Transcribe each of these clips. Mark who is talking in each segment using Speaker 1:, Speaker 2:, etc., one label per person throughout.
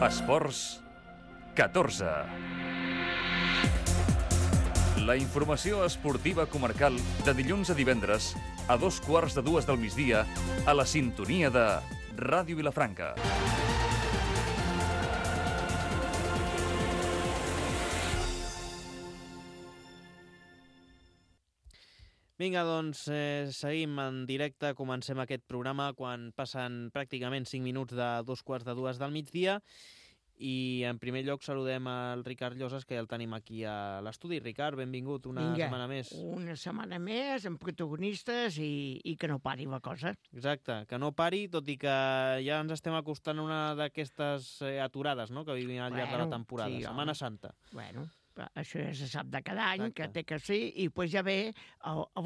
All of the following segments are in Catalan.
Speaker 1: Esports 14. La informació esportiva comarcal de dilluns a divendres a 2:15 del migdia a la sintonia de Ràdio Vilafranca.
Speaker 2: Vinga, doncs seguim en directe, comencem aquest programa quan passen pràcticament 5 minuts de 2:15 del migdia i en primer lloc saludem al Ricard Llosas, que el tenim aquí a l'estudi. Ricard, benvingut una setmana més.
Speaker 3: Una setmana més amb protagonistes i que no pari la cosa.
Speaker 2: Exacte, que no pari, tot i que ja ens estem acostant a una d'aquestes aturades, no?, que vivim al llarg de la temporada, sí, Setmana Santa.
Speaker 3: Bueno, això ja se sap de cada any. Exacte. Que té que ser, i després ja ve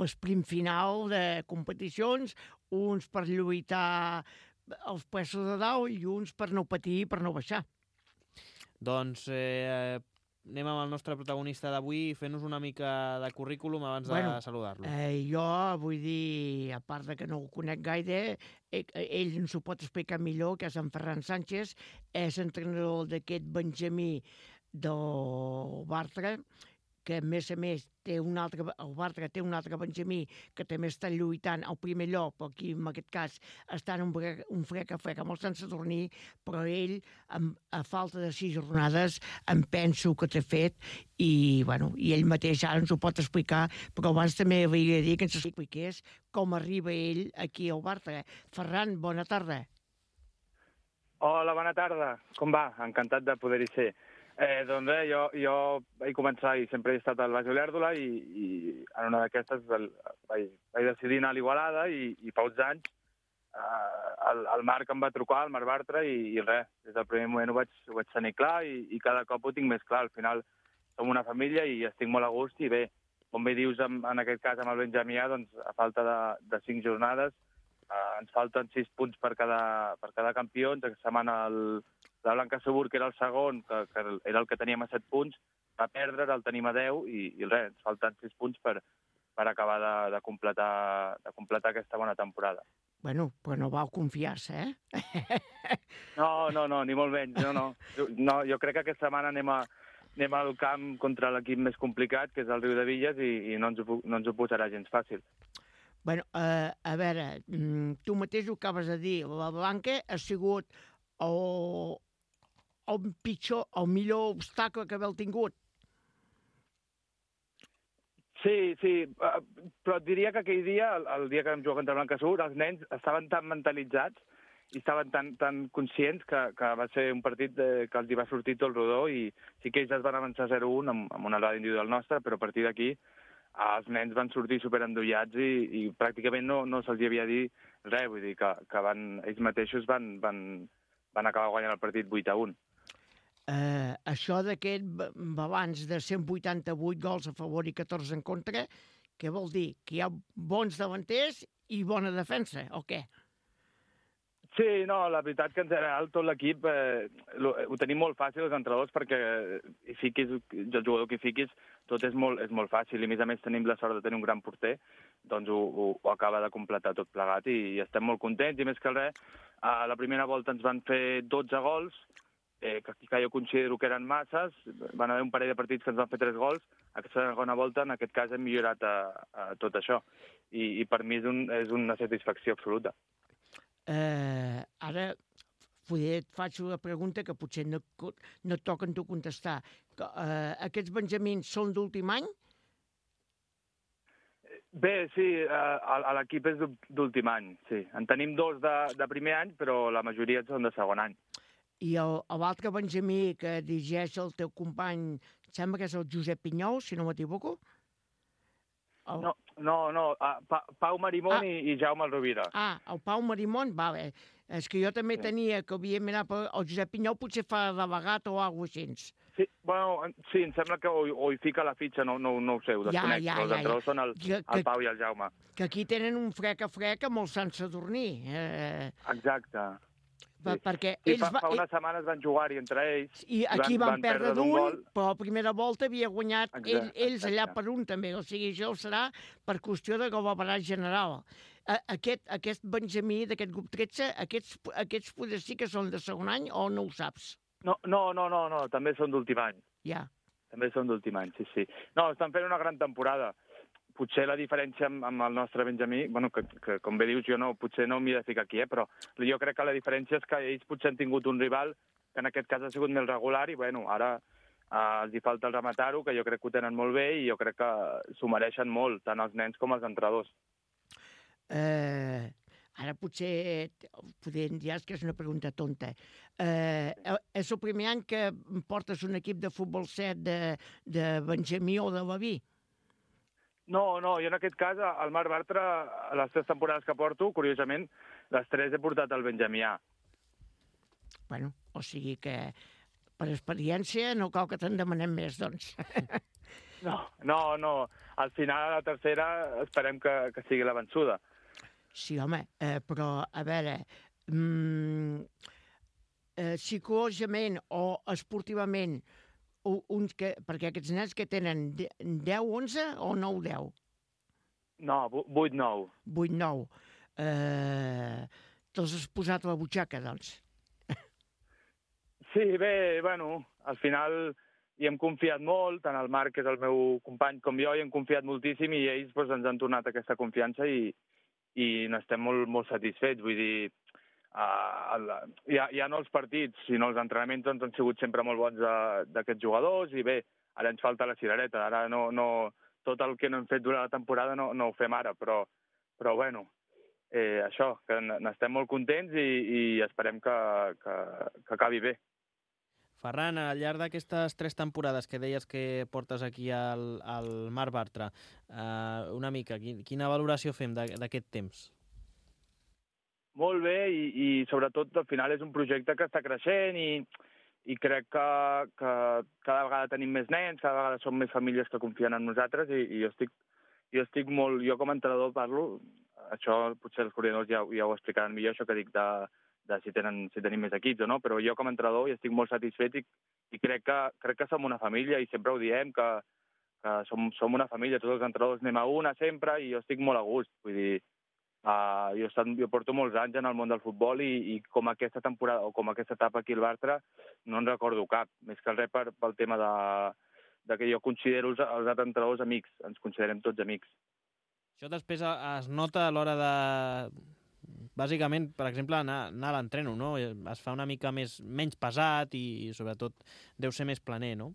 Speaker 3: l'esprint final de competicions, uns per lluitar els puestos de dalt i uns per no patir i per no baixar.
Speaker 2: Doncs anem amb el nostre protagonista d'avui, fent-nos una mica de currículum abans de saludar-lo.
Speaker 3: Jo vull dir, a part de que no ho conec gaire, ell ens ho pot explicar millor, que és en Ferran Sánchez, és entrenador d'aquest Benjamí del Bartra, que a més el Bartra té un altre Benjamí que també està lluitant al primer lloc, però aquí en aquest cas està en un frec a frec amb el Sant Sadurní, però ell, a falta de 6 jornades, em penso que t'ha fet, i ell mateix ara ens ho pot explicar, però abans també hauria de dir que ens expliqués com arriba ell aquí al Bartra. Ferran, bona tarda.
Speaker 4: Hola, bona tarda. Com va? Encantat de poder-hi ser. Doncs bé, jo vaig començar i sempre he estat al Baix Olèrdola i en una d'aquestes vaig decidir anar a l'Igualada i fa uns anys el Marc em va trucar, el Marc Bartra, i res, des del primer moment ho vaig tenir clar i cada cop ho tinc més clar. Al final som una família i estic molt a gust i bé, com bé dius en aquest cas amb el Benjamià, doncs a falta de 5 jornades ens falten 6 punts per cada campió. Ens setmana la Blanca Segur, que era el segon, que era el que teníem a 7 punts, va perdre, el tenim a 10 i res, ens falten 6 punts per acabar de completar aquesta bona temporada.
Speaker 3: Bueno, però no vau confiar-se, eh?
Speaker 4: No, ni molt menys, no. Jo crec que aquesta setmana anem al camp contra l'equip més complicat, que és el Riu de Villes, i no ens ho posarà gens fàcil.
Speaker 3: Bueno, a veure, tu mateix ho acabes de dir, la Blanca ha sigut el millor obstacle que haveu tingut.
Speaker 4: Sí, però et diria que aquell dia, el dia que vam jugar contra el Blanca Segur, els nens estaven tan mentalitzats i estaven tan conscients que va ser un partit que els hi va sortir tot el rodó, i sí que ells es van avançar 0-1 amb una errada individual nostra, però a partir d'aquí els nens van sortir superendollats i pràcticament no se'ls havia dit res, vull dir que ells mateixos van acabar guanyant el partit 8-1.
Speaker 3: Això d'aquest balanç de 188 gols a favor i 14 en contra, què vol dir? Que hi ha bons davanters i bona defensa, o què?
Speaker 4: Sí, no, la veritat que en general tot l'equip ho tenim molt fàcil els entrenadors, perquè hi fiquis, el jugador que hi fiquis, tot és molt fàcil, i a més tenim la sort de tenir un gran porter, doncs ho acaba de completar tot plegat i estem molt contents, i més que res, a la primera volta ens van fer 12 gols, que jo considero que eren masses, van haver un parell de partits que ens van fer 3 gols, aquesta segona volta, en aquest cas, hem millorat tot això, i per mi és una satisfacció absoluta.
Speaker 3: Ara et faig una pregunta que potser no et toca en tu contestar. Aquests benjamins són d'últim any?
Speaker 4: Bé, sí, l'equip és d'últim any, sí. En tenim 2 de primer any, però la majoria són de segon any.
Speaker 3: I l'altre benjamí que dirigeix el teu company, sembla que és el Josep Pinyol, si no m'equivoco?
Speaker 4: No, Pau Marimón i Jaume Rovira.
Speaker 3: El Pau Marimón, vale. És que jo també tenia que havia mirat, però el Josep Pinyol potser fa delegat o alguna cosa així.
Speaker 4: Sí, em sembla que o hi fica la fitxa, no ho sé, ho desconec, però els entrenadors són el Pau i el Jaume.
Speaker 3: Que aquí tenen un frec a frec amb el Sant Sadurní.
Speaker 4: Exacte.
Speaker 3: Perquè
Speaker 4: fa unes setmanes van jugar-hi entre ells.
Speaker 3: I aquí van perdre d'un, però a la primera volta havia guanyat ells allà per un també. O sigui, això serà per qüestió de governar general. Aquest Benjamí d'aquest grup 13, aquests poder sí que són de segon any o no ho saps?
Speaker 4: No, també són d'últim any.
Speaker 3: Ja.
Speaker 4: També són d'últim any, sí. No, estan fent una gran temporada. Potser la diferència amb el nostre Benjamí, bueno, que com bé dius, jo potser no m'hi he de ficar aquí, però jo crec que la diferència és que ells potser han tingut un rival que en aquest cas ha sigut més regular i, bueno, ara els hi falta el rematar-ho, que jo crec que ho tenen molt bé i jo crec que s'ho mereixen molt, tant els nens com els entrenadors.
Speaker 3: Ara potser podem dir que és una pregunta tonta. És el primer any que portes un equip de futbol 7 de Benjamí o de Baví?
Speaker 4: No, jo en aquest cas, al Marc Bartra, a les 3 temporades que porto, curiosament, les 3 he portat al Benjamià.
Speaker 3: Bueno, o sigui que per experiència no cal que te'n demanem més, doncs.
Speaker 4: No. Al final, a la tercera, esperem que sigui la vençuda.
Speaker 3: Sí, home, però, a veure, psicològicament o esportivament, perquè aquests nens que tenen 10, 11 o 9, 10?
Speaker 4: No, 8, 9.
Speaker 3: 8, 9. Te'ls has posat a la butxaca, doncs.
Speaker 4: Sí, bé, bueno, al final hi hem confiat molt, tant el Marc, que és el meu company, com jo, hi hem confiat moltíssim i ells doncs, ens han tornat aquesta confiança i n'estem molt satisfets. Vull dir, ja no els partits, sinó els entrenaments doncs, han sigut sempre molt bons d'aquests jugadors i bé, ara ens falta la cirereta. Ara tot el que no hem fet durant la temporada no ho fem ara, però bueno, això, que n'estem molt contents i esperem que acabi bé.
Speaker 2: Ferran, al llarg d'aquestes 3 temporades que deies que portes aquí al Marc Bartra, una mica, quina valoració fem d'aquest temps?
Speaker 4: Molt bé i sobretot al final és un projecte que està creixent i crec que cada vegada tenim més nens, cada vegada som més famílies que confien en nosaltres i jo estic molt... Jo com a entrenador parlo, això potser els coordinadors ja ho explicaran millor, això que dic de si tenim més equips o no, però jo com a entrenador hi estic molt satisfet i crec que som una família i sempre ho diem, que som una família, tots els entrenadors anem a una sempre i jo estic molt a gust. Vull dir, jo porto molts anys en el món del futbol i com aquesta temporada o com aquesta etapa aquí al Bartra no en recordo cap, més que res pel tema de que jo considero els altres entrenadors amics, ens considerem tots amics.
Speaker 2: Això després es nota a l'hora de... Bàsicament, per exemple, anar a l'entreno, no? Es fa una mica menys pesat i, sobretot, deu ser més planer, no?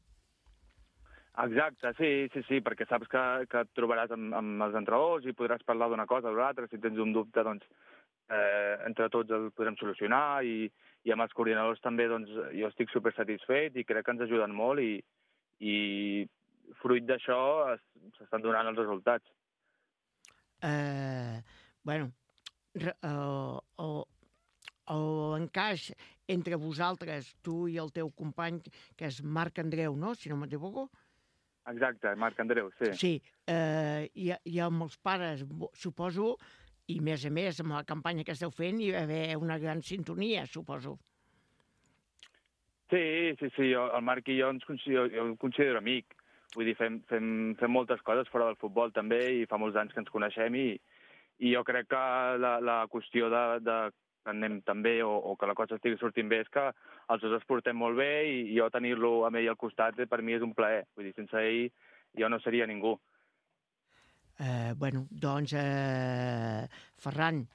Speaker 4: Exacte, sí, perquè saps que et trobaràs amb els entrenadors i podràs parlar d'una cosa o l'altra. Si tens un dubte, doncs, entre tots el podrem solucionar i amb els coordinadors també, doncs, jo estic supersatisfet i crec que ens ajuden molt i fruit d'això s'estan donant els resultats.
Speaker 3: Bueno, l'encaix entre vosaltres, tu i el teu company, que és Marc Andreu, no?, si no m'equivoco?
Speaker 4: Exacte, Marc Andreu, sí.
Speaker 3: Sí, i amb els pares, suposo, i a més, amb la campanya que esteu fent, hi va haver una gran sintonia, suposo.
Speaker 4: Sí, jo, el Marc i jo el considero amic. Vull dir, fem moltes coses fora del futbol també i fa molts anys que ens coneixem i jo crec que la qüestió de que anem tan bé o que la cosa estigui sortint bé és que els dos es portem molt bé i jo tenir-lo amb ell al costat per mi és un plaer. Vull dir, sense ell jo no seria ningú.
Speaker 3: Bueno, doncs, Ferran,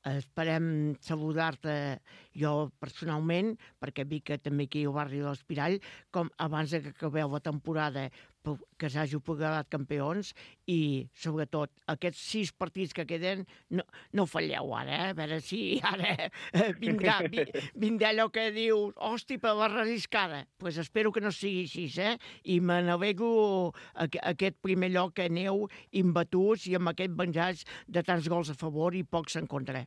Speaker 3: esperem saludar-te jo personalment, perquè vi que també aquí al barri de l'Espirall, com abans que acabeu la temporada, que s'hagi programat campions i, sobretot, aquests 6 partits que queden, no falleu ara, a veure si ara vindrà allò que dius, hosti, per la relliscada. Doncs espero que no sigui així, i me n'alegro aquest primer lloc que aneu imbatuts i amb aquest venjats de tants gols a favor i pocs en contra.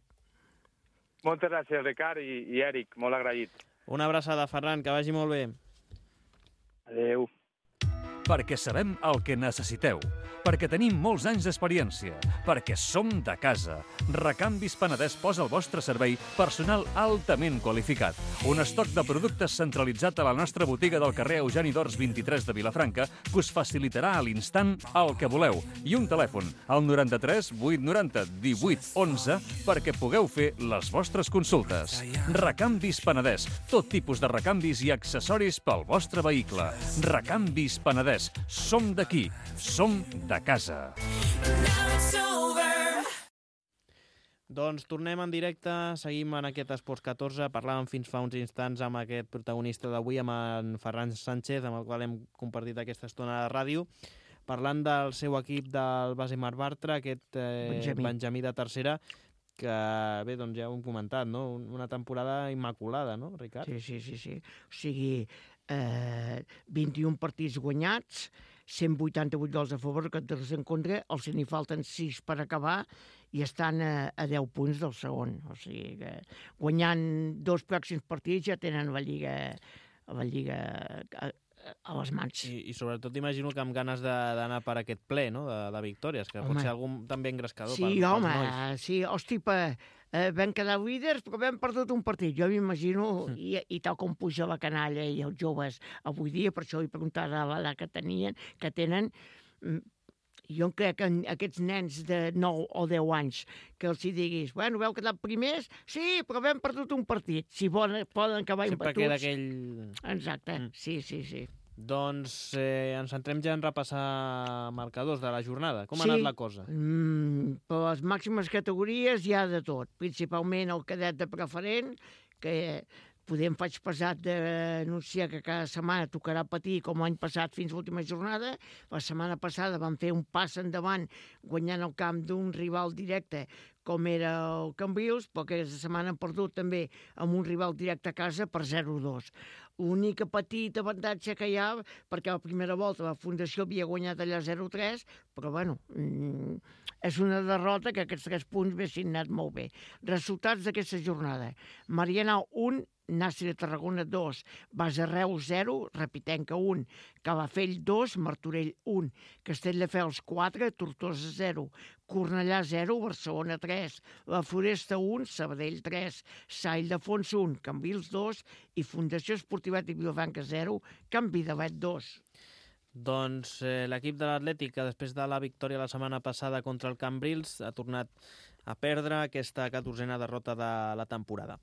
Speaker 4: Moltes gràcies, Ricard i Eric, molt agraït.
Speaker 2: Una abraçada, Ferran, que vagi molt bé.
Speaker 4: Adéu.
Speaker 1: perquè sabem el que necessiteu, perquè tenim molts anys d'experiència, perquè som de casa. Recanvis Penedès posa al vostre servei personal altament qualificat. Un estoc de productes centralitzat a la nostra botiga del carrer Eugeni d'Ors 23 de Vilafranca que us facilitarà a l'instant el que voleu. I un telèfon, al 93 890 18 11, perquè pugueu fer les vostres consultes. Recanvis Penedès, tot tipus de recanvis i accessoris pel vostre vehicle. Recanvis Penedès, som d'aquí, som de casa.
Speaker 2: Doncs tornem en directe, seguim en aquest Esports 14, parlàvem fins fa uns instants amb aquest protagonista d'avui, amb en Ferran Sánchez, amb el qual hem compartit aquesta estona de ràdio, parlant del seu equip del base Mar Bartra, aquest Benjamí de tercera, que bé, doncs ja ho hem comentat, no? Una temporada immaculada, no, Ricard?
Speaker 3: Sí. O sigui, 21 partits guanyats, 188 gols a favor, 14 en contra, els n'hi falten 6 per acabar i estan a 10 punts del segon. O sigui que guanyant 2 pròxims partits ja tenen la Lliga a les mans.
Speaker 2: I sobretot imagino que amb ganes d'anar per aquest ple, no?, de victòries, que pot ser algun també engrescador
Speaker 3: sí,
Speaker 2: pels
Speaker 3: home,
Speaker 2: nois.
Speaker 3: Sí, hosti, vam quedar líders, però vam perdut un partit. Jo m'imagino, i tal com puja la canalla i els joves avui dia, per això li preguntava l'edat que tenen, jo crec que aquests nens de 9 o 10 anys que els hi diguis, bueno, vau quedar primers? Sí, però vam perdut un partit. Si poden acabar
Speaker 2: sempre
Speaker 3: embatuts...
Speaker 2: queda aquell...
Speaker 3: Exacte, sí.
Speaker 2: Doncs ens centrem ja en repassar marcadors de la jornada. Com ha anat la cosa?
Speaker 3: Per les màximes categories hi ha de tot. Principalment el cadet de preferent, que em faig pesat d'anunciar que cada setmana tocarà patir com l'any passat fins a l'última jornada. La setmana passada van fer un pas endavant guanyant el camp d'un rival directe com era el Cambrils, però aquesta setmana han perdut també amb un rival directe a casa per 0-2. L'única petit avantatge que hi ha, perquè a la primera volta la Fundació havia guanyat allà 0-3, però bueno, és una derrota que aquests 3 punts haguessin anat molt bé. Resultats d'aquesta jornada. Marianao 1, Nàstic de Tarragona 2, Base Reus 0, Repitenca 1, Calafell 2, Martorell 1, Castelldefels 4, Tortosa 0, Cornellà 0, Barcelona 3, La Floresta 1, Sabadell 3, Sa Ildefons 1, Cambrils 2 i Fundació Esportiva de Vilafranca 0, Can Vidalet 2.
Speaker 2: Doncs l'equip de l'Atlètic, que després de la victòria la setmana passada contra el Cambrils, ha tornat a perdre aquesta 14a derrota de la temporada.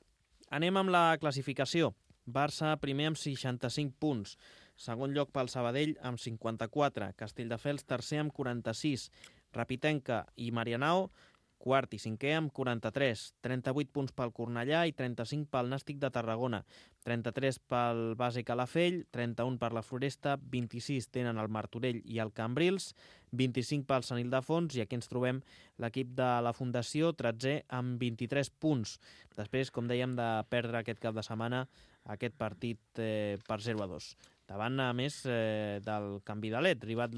Speaker 2: Anem amb la classificació. Barça primer amb 65 punts. Segon lloc pel Sabadell amb 54. Castelldefels tercer amb 46. Repitenca i Marianao quart i cinquè amb 43, 38 punts pel Cornellà i 35 pel Nàstic de Tarragona, 33 pel Base Calafell, 31 per la Floresta, 26 tenen el Martorell i el Cambrils, 25 pel Sant Ildefons i aquí ens trobem l'equip de la Fundació, 13è amb 23 punts. Després, com dèiem, de perdre aquest cap de setmana aquest partit per 0-2. Davant, a més, del Can Vidalet, rival,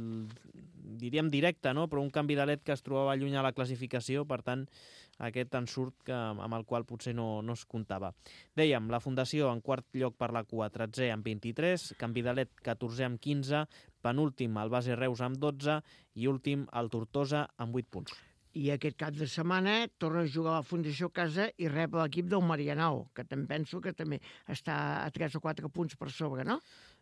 Speaker 2: diríem directe, no? Però un Can Vidalet que es trobava lluny a la classificació, per tant, aquest ensurt amb el qual potser no es comptava. Dèiem, la Fundació en quart lloc per la cua, 13è amb 23, Can Vidalet 14è amb 15, penúltim el Base Reus amb 12 i últim el Tortosa amb 8 punts.
Speaker 3: I aquest cap de setmana torna a jugar a la Fundació a casa i rep l'equip del Marianao, que també penso que també està a 3 o 4 punts per sobre, no?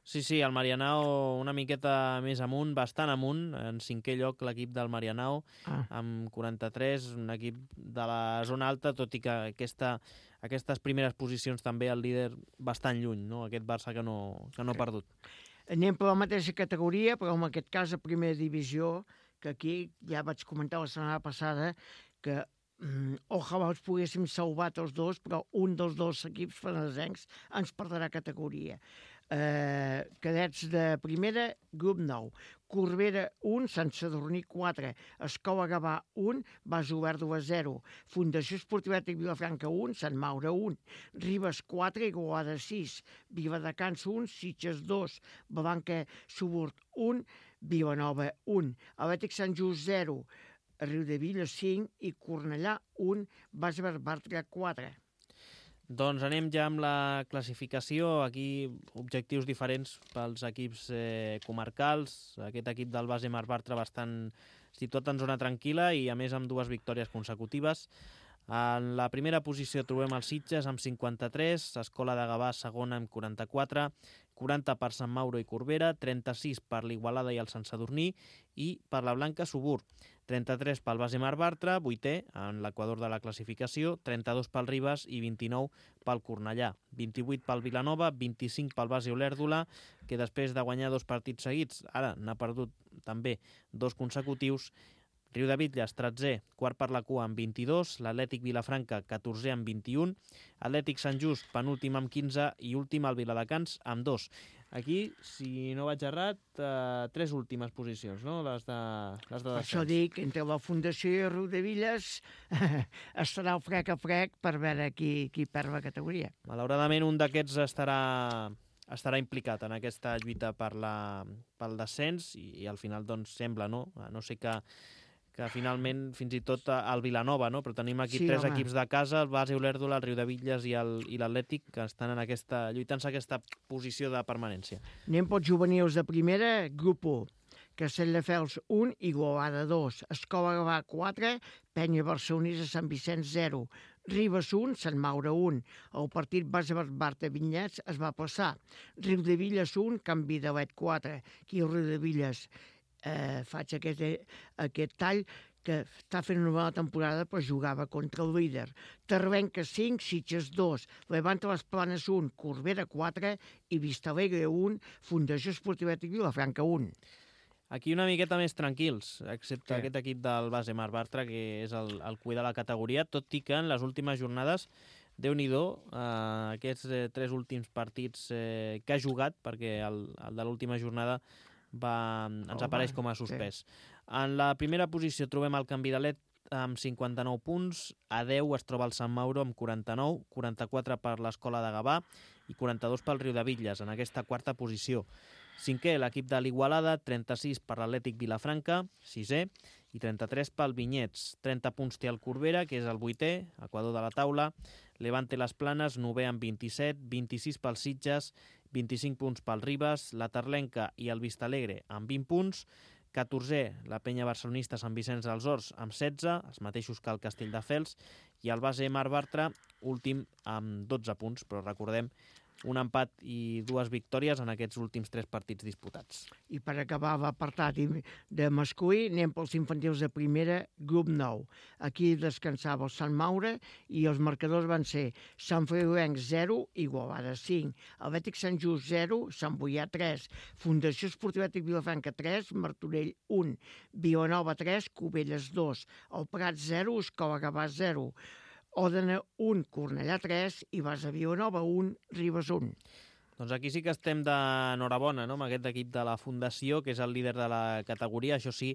Speaker 2: Sí, el Marianao una miqueta més amunt, bastant amunt, en 5è lloc l'equip del Marianao, amb 43, un equip de la zona alta, tot i que aquestes primeres posicions també el líder bastant lluny, no? Aquest Barça que no ha perdut.
Speaker 3: Anem per la mateixa categoria, però en aquest cas a primera divisió, que aquí ja vaig comentar la setmana passada que ojalà els poguéssim salvar tots dos, però un dels dos equips fenedesencs ens perdrà categoria. Cadets de primera, grup 9. Corbera 1, Sant Sadurní 4, Escola Gavà 1, Base Obert 2-0, Fundació Esportiva de Vilafranca 1, Sant Maure 1, Ribes 4, Igualada 6, Viladecans 1, Sitges 2, Balanca Suburt 1, Vilanova 1, Atlètic Sant Just 0, Riudevilla 5 i Cornellà 1, Base Bartra 4.
Speaker 2: Doncs anem ja amb la classificació. Aquí objectius diferents pels equips comarcals. Aquest equip del base Marc Bartra bastant situat en zona tranquil·la i a més amb 2 victòries consecutives. En la primera posició trobem el Sitges amb 53, Escola de Gavà segona amb 44, 40 per Sant Mauro i Corbera, 36 per l'Igualada i el Sant Sadurní i per la Blanca Subur. 33 pel base Marc Bartra, 8è en l'equador de la classificació, 32 pel Ribes i 29 pel Cornellà. 28 pel Vilanova, 25 pel base Olèrdola, que després de guanyar 2 partits seguits, ara n'ha perdut també 2 consecutius. Riudebitlles, 13è, quart per la cua amb 22, l'Atlètic Vilafranca, 14è amb 21, Atlètic Sant Just, penúltim amb 15 i últim el Viladecans amb 2. Aquí, si no vaig errat, 3 últimes posicions, no? Les de descens.
Speaker 3: Això dic, entre la Fundació i Riudebitlles estarà el frec a frec per veure qui perd la categoria.
Speaker 2: Malauradament, un d'aquests estarà implicat en aquesta lluita pel descens i al final doncs sembla, no? No sé que finalment fins i tot el Vilanova, no? Però tenim aquí 3 equips de casa, el base Olèrdola, el Riudebitlles i l'Atlètic, que estan lluitant-se aquesta posició de permanència.
Speaker 3: Anem pels juvenils de primera, grup 1. Castelldefels 1, Igualada 2, Escola Gavà 4, Penya Barcelonesa Sant Vicenç 0, Ribes 1, Sant Maure 1. El partit base Barta Vinyets es va passar. Riudebitlles 1, Can Vidalet 4. Aquí el Riudebitlles faig aquest tall que està fent una bona temporada però jugava contra el líder. Tarbenca 5, Sitges 2, Levante les Planes 1, Corbera 4 i Vistalegre 1, Fundació Esportiva i Vilafranca 1.
Speaker 2: Aquí una miqueta més tranquils, excepte aquest equip del base Marc Bartra, que és el cuidar de la categoria, tot i que en les últimes jornades, Déu-n'hi-do, aquests 3 últims partits que ha jugat, perquè el de l'última jornada ens apareix com a suspès. En la primera posició trobem el Can Vidalet amb 59 punts, a 10 es troba el Sant Mauro amb 49, 44 per l'Escola de Gavà i 42 pel Riudebitlles, en aquesta quarta posició. 5è, l'equip de l'Igualada, 36 per l'Atlètic Vilafranca, 6è, i 33 pel Vinyets. 30 punts té el Corbera, que és el 8è, equador de la taula. Levante les Planes, 9è amb 27, 26 pels Sitges, 25 punts pel Ribes, la Terlenca i el Vistalegre amb 20 punts, 14è la Penya Barcelonista Sant Vicenç dels Horts amb 16, els mateixos que el Castelldefels, i el base Marc Bartra, últim amb 12 punts, però recordem un empat i 2 victòries en aquests últims 3 partits disputats.
Speaker 3: I per acabar l'apartat de masculí, anem pels infantils de primera, grup 9. Aquí descansava el Sant Maure i els marcadors van ser Sant Feliuenc 0, Igualada 5, Atlètic Sant Just 0, Sant Boià 3, Fundació Esportiva i Vilafranca 3, Martorell 1, Vilanova 3, Cubelles 2, el Prat 0, Escola Gavà 0, Òdena 1, Cornellà 3 i Base Vilanova 1, Ribes 1.
Speaker 2: Doncs aquí sí que estem d'enhorabona, no?, amb aquest equip de la Fundació, que és el líder de la categoria. Això sí,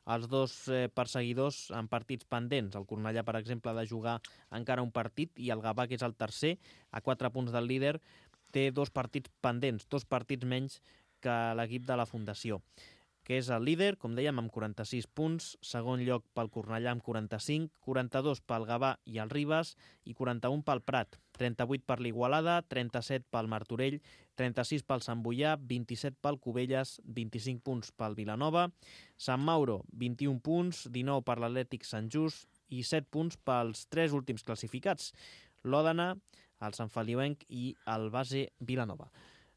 Speaker 2: els 2 perseguidors en partits pendents. El Cornellà, per exemple, ha de jugar encara un partit i el Gavà, que és el tercer, a 4 punts del líder, té 2 partits pendents, 2 partits menys que l'equip de la Fundació, que és el líder, com dèiem, amb 46 punts, segon lloc pel Cornellà amb 45, 42 pel Gavà i el Ribes i 41 pel Prat, 38 per l'Igualada, 37 pel Martorell, 36 pel Sant Boià, 27 pel Cubelles, 25 punts pel Vilanova, Sant Mauro, 21 punts, 19 per l'Atlètic Sant Just i 7 punts pels 3 últims classificats, l'Òdena, el Sant Feliuenc i el base Vilanova.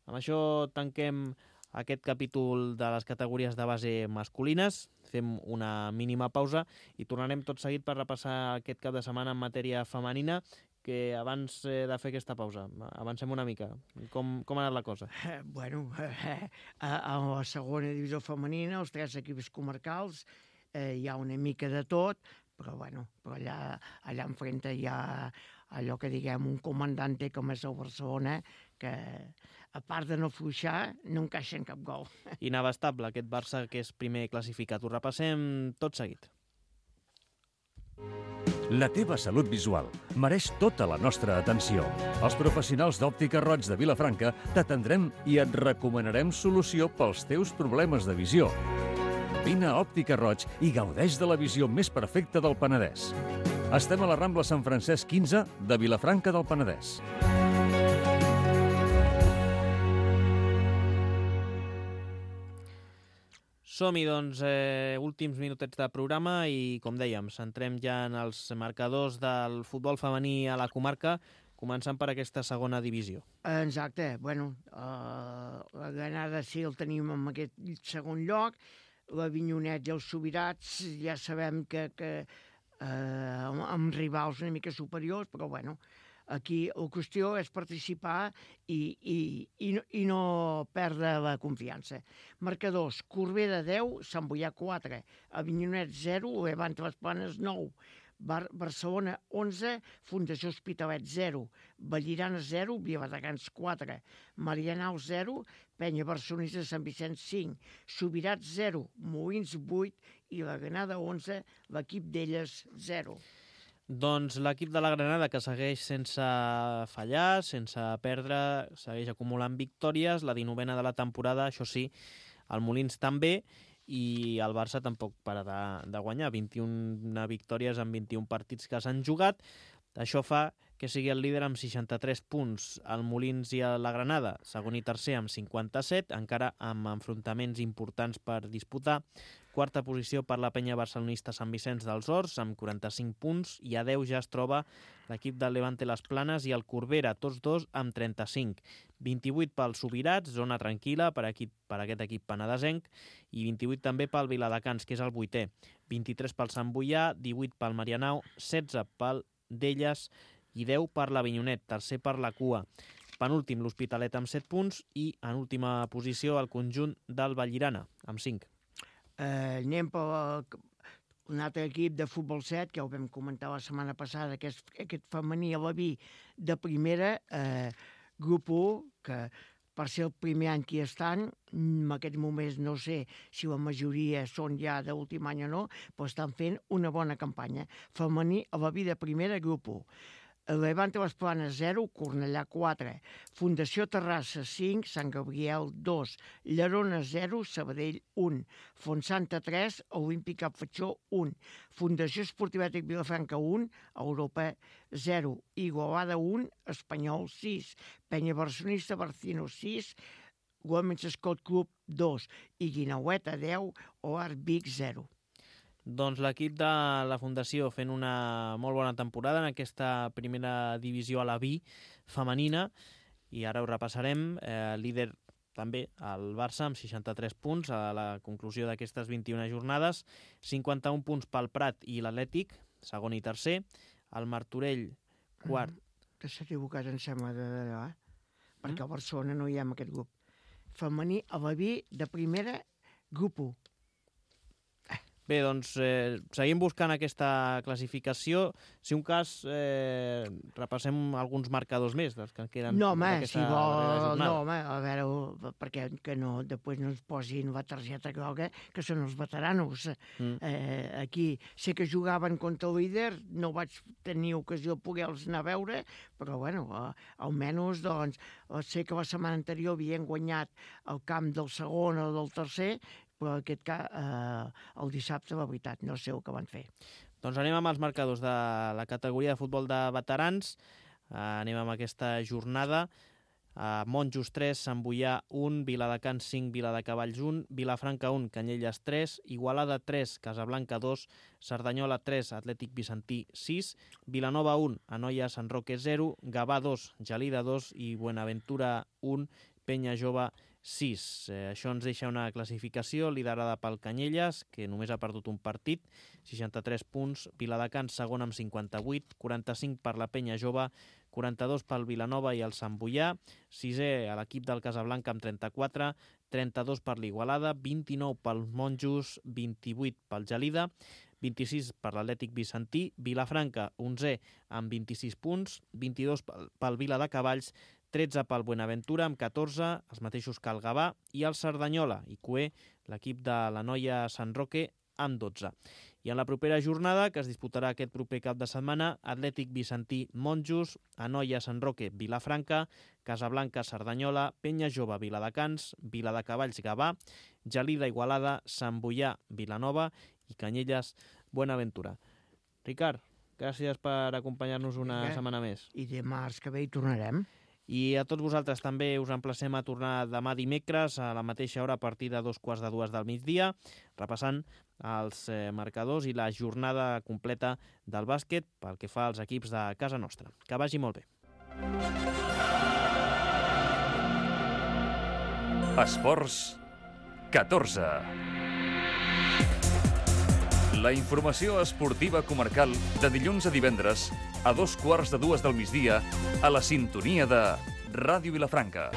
Speaker 2: Amb això tanquem aquest capítol de les categories de base masculines. Fem una mínima pausa i tornarem tot seguit per repassar aquest cap de setmana en matèria femenina, que abans de fer aquesta pausa, avancem una mica. Com ha anat la cosa?
Speaker 3: Bueno, a la segona divisió femenina, els 3 equips comarcals, hi ha una mica de tot, però allà enfrente hi ha allò que diguem un comandante com és el Barcelona, que a part de no fluixar, no encaixa en cap gol.
Speaker 2: Inabastable aquest Barça, que és primer classificat. Ho repassem tot seguit.
Speaker 1: La teva salut visual mereix tota la nostra atenció. Els professionals d'Òptica Roig de Vilafranca t'atendrem i et recomanarem solució pels teus problemes de visió. Vine a Òptica Roig i gaudeix de la visió més perfecta del Penedès. Estem a la Rambla Sant Francesc 15 de Vilafranca del Penedès.
Speaker 2: Som-hi, doncs, últims minutets de programa i, com dèiem, centrem ja en els marcadors del futbol femení a la comarca, començant per aquesta segona divisió.
Speaker 3: Exacte. Bueno, la Granada sí el tenim en aquest segon lloc, l'Avinyonet i els Subirats ja sabem que amb rivals una mica superiors, però bueno, aquí la qüestió és participar i no perdre la confiança. Marcadors: Corbera 10, Sant Boià 4, Avinyonet 0, Levante les Planes 9, Barcelona 11, Fundació Hospitalet 0, Vallirana 0, Viladecans 4, Marianao 0, Penya Barcelonista de Sant Vicenç 5, Subirats 0, Molins 8 i la Granada 11, l'equip d'elles 0.
Speaker 2: Doncs l'equip de la Granada, que segueix sense fallar, sense perdre, segueix acumulant victòries, la 19a de la temporada, això sí, el Molins també, i el Barça tampoc para de guanyar, 21 victòries en 21 partits que s'han jugat. Això fa que sigui el líder amb 63 punts. El Molins i la Granada, segon i tercer amb 57, encara amb enfrontaments importants per disputar. Quarta posició per la penya barcelonista Sant Vicenç dels Horts, amb 45 punts, i a 10 ja es troba l'equip del Levante Les Planes i el Corbera, tots dos amb 35. 28 pels Subirats, zona tranquil·la per aquest equip penedesenc, i 28 també pel Viladecans, que és el 8è. 23 pel Sant Boià, 18 pel Marianao, 16 pel D'Elles i 10 per l'Avinyonet, tercer per la cua. Penúltim l'Hospitalet amb 7 punts i en última posició el conjunt del Vallirana, amb 5.
Speaker 3: Anem per un altre equip de futbol 7, que ho vam comentar la setmana passada, que és aquest femení a la Vi de primera, grup 1, que per ser el primer any que hi estan, en aquests moments no sé si la majoria són ja d'últim any o no, però estan fent una bona campanya. Femení a la Vi de primera, grup 1. Levante les Planes 0, Cornellà 4, Fundació Terrassa 5, Sant Gabriel 2, Llerona 0, Sabadell 1, Fontsanta 3, Olímpic Cap Fatxó 1, Fundació Esportivètic Vilafranca 1, Europa 0, Igualada 1, Espanyol 6, Penya Barcelonista Barcino 6, Women's Scott Club 2 i Guinaueta 10, Oar Vic 0.
Speaker 2: Doncs l'equip de la Fundació fent una molt bona temporada en aquesta primera divisió a la Vi femenina, i ara ho repassarem. Líder també el Barça amb 63 punts a la conclusió d'aquestes 21 jornades, 51 punts pel Prat i l'Atlètic, segon i tercer, el Martorell quart.
Speaker 3: Que s'ha equivocat, em sembla, d'allò, perquè a Barcelona no hi ha en aquest grup. Femení a la Vi de primera, grup 1.
Speaker 2: Bé, doncs seguim buscant aquesta classificació. Si un cas, repassem alguns marcadors més dels que queden.
Speaker 3: No, home,
Speaker 2: si
Speaker 3: vol... No, home, a veure, perquè que no, després no ens posin la targeta groga, que són els veteranos. Aquí sé que jugaven contra el líder, no vaig tenir ocasió de poder-los anar a veure, però, bueno, almenys, doncs, sé que la setmana anterior havien guanyat el camp del segon o del tercer, però aquest cas, el dissabte, la veritat, no sé el que van fer.
Speaker 2: Doncs anem amb els marcadors de la categoria de futbol de veterans. Anem amb aquesta jornada. Monjos 3, Sant Boià 1, Viladecans 5, Viladecavalls 1, Vilafranca 1, Canyelles 3, Igualada 3, Casablanca 2, Cerdanyola 3, Atlètic Vicentí 6, Vilanova 1, Anoia Sant Roque 0, Gavà 2, Gelida 2 i Buenaventura 1, Penya Jove 6. Això ens deixa una classificació liderada pel Canyelles, que només ha perdut un partit, 63 punts, Viladecans segon amb 58, 45 per la Penya Jove, 42 pel Vilanova i el Sant Boià, sisè a l'equip del Casablanca amb 34, 32 per l'Igualada, 29 pel Monjos, 28 pel Gelida, 26 per l'Atlètic Vicentí, Vilafranca 11è amb 26 punts, 22 pel Viladecavalls, 13 pel Buenaventura amb 14, els mateixos que el Gavà, i el Cerdanyola i Cué, l'equip de la Noia Sant Roque, amb 12. I en la propera jornada, que es disputarà aquest proper cap de setmana, Atlètic Vicentí Monjos, Anoia Sant Roque Vilafranca, Casablanca Cerdanyola, Penya Jove Viladecans, Viladecavalls Gavà, Gelida Igualada, Sant Boià Vilanova i Canyelles Buenaventura. Ricard, Gràcies per acompanyar-nos una setmana més.
Speaker 3: I dimarts que ve hi tornarem.
Speaker 2: I a tots vosaltres també us emplacem a tornar demà dimecres a la mateixa hora a partir de 2:45 del migdia, repassant els marcadors i la jornada completa del bàsquet pel que fa als equips de casa nostra. Que vagi molt bé.
Speaker 1: Esports 14. La informació esportiva comarcal de dilluns a divendres a 2:15 del migdia a la sintonia de Ràdio Vilafranca.